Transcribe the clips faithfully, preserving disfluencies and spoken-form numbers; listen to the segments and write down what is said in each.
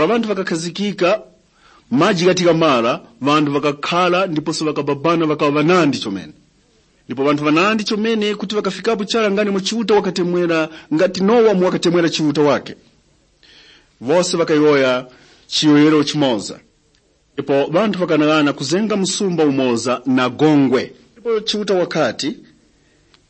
Pa ŵanthu ŵakakhazikika, maji ghati ghamara, ŵanthu ŵakakhara ndiponso ŵakababana ŵakaŵa ŵanandi chomene. Ndipo ŵanthu ŵanandi chomene kuti ŵakafikapo chara ngani mwa Chiuta wakatemwera, ngati Nowa mu wakatemwera Chiuta wake. Wose ŵakayowoya chiyowoyero chimoza. Ndipo ŵanthu ŵakanaghana kuzenga msumba umoza na gongwe. Ndipo Chiuta wakati,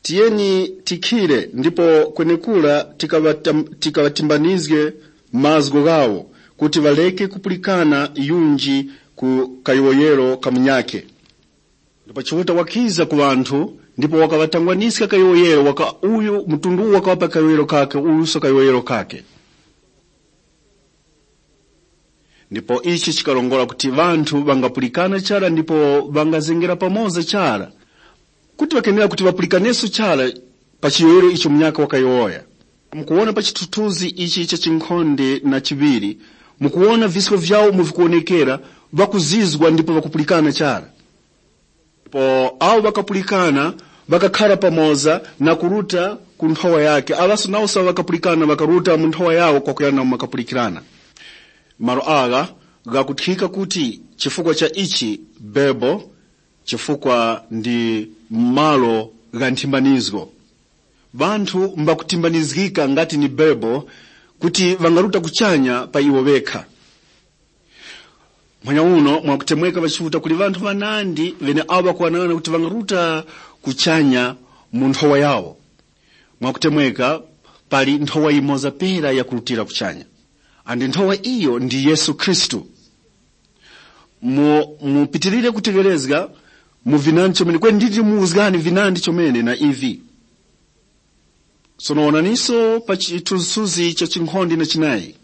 tiyeni tikhire ndipo kwenekura tikaŵatam- tikaŵatimbanizge mazgu ghawo, kuti ŵareke kupulikana yunji ku kayowoyero ka munyakhe. Ndipo Chiuta wakiza ku ŵanthu ndipo wakaŵatangwaniska kayowoyero waka uyu mtundu uwu wakaŵapa kayowoyero kakhe, uyuso kayowoyero kakhe. Ndipo ichi chikarongora kuti ŵanthu ŵangapulikana chara ndipo ŵangazengera pamoza chara, kuti ŵakenera kuti ŵapulikaneso chara pa chiyowoyero icho munyaka wakayowoya. Mukuwona pa chithuthuzi ichi cha chinkhonde na chiŵiri, mukuwona visko vyawo umo vikuwonekera, ŵakuzizwa ndipo ŵakupulikana chara. Ndipo awo ŵakapulikana ŵakakhara pamoza na kuruta ku nthowa yake. Aŵaso nawose awo ŵakapulikana ŵakaruta mu nthowa yawo kwakuyana umo ŵakapulikirana. Malo agha ghakuthika kuti chifukwa cha ichi Bebo, chifukwa ndi malo gha nthimbanizgo. Ŵanthu mbakutimbanizgika ngati ni Bebo kuti ŵangaruta kuchanya pa iwo ŵekha. Mphanya uno mwakutemweka ŵachiuta kuli ŵanthu ŵanandi ŵene awo ŵakuwanang'ana kuti ŵangaruta kuchanya mu nthowa yawo. Mwakutemweka pali nthowa yimoza pera yakurutira kuchanya, andi nthowa iyo ndi Yesu Khristu. Mu- mupitirire kutegherezga mu vinandi chomene kweni nditi muwuzgani vinandi chomene na ivi. Sono wonaniso pa chithunzithunzi cha chinkhonde na chinayi.